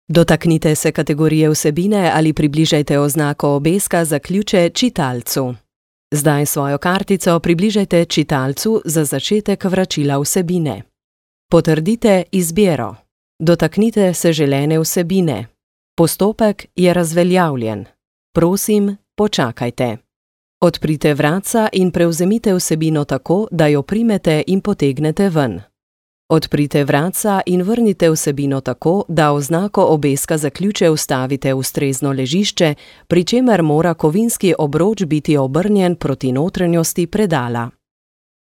Dotaknite se kategorije vsebine ali približajte oznako obeska za ključe čitalcu. Zdaj svojo kartico približajte čitalcu za začetek vračila vsebine. Potrdite izbiro. Dotaknite se želene vsebine. Postopek je razveljavljen. Prosim, počakajte. Odprite vratca in prevzemite vsebino tako, da jo primete in potegnete ven. Odprite vratca in vrnite vsebino tako, da oznako obeska za ključe vstavite v ustrezno ležišče, pri čemer mora kovinski obroč biti obrnjen proti notranjosti predala.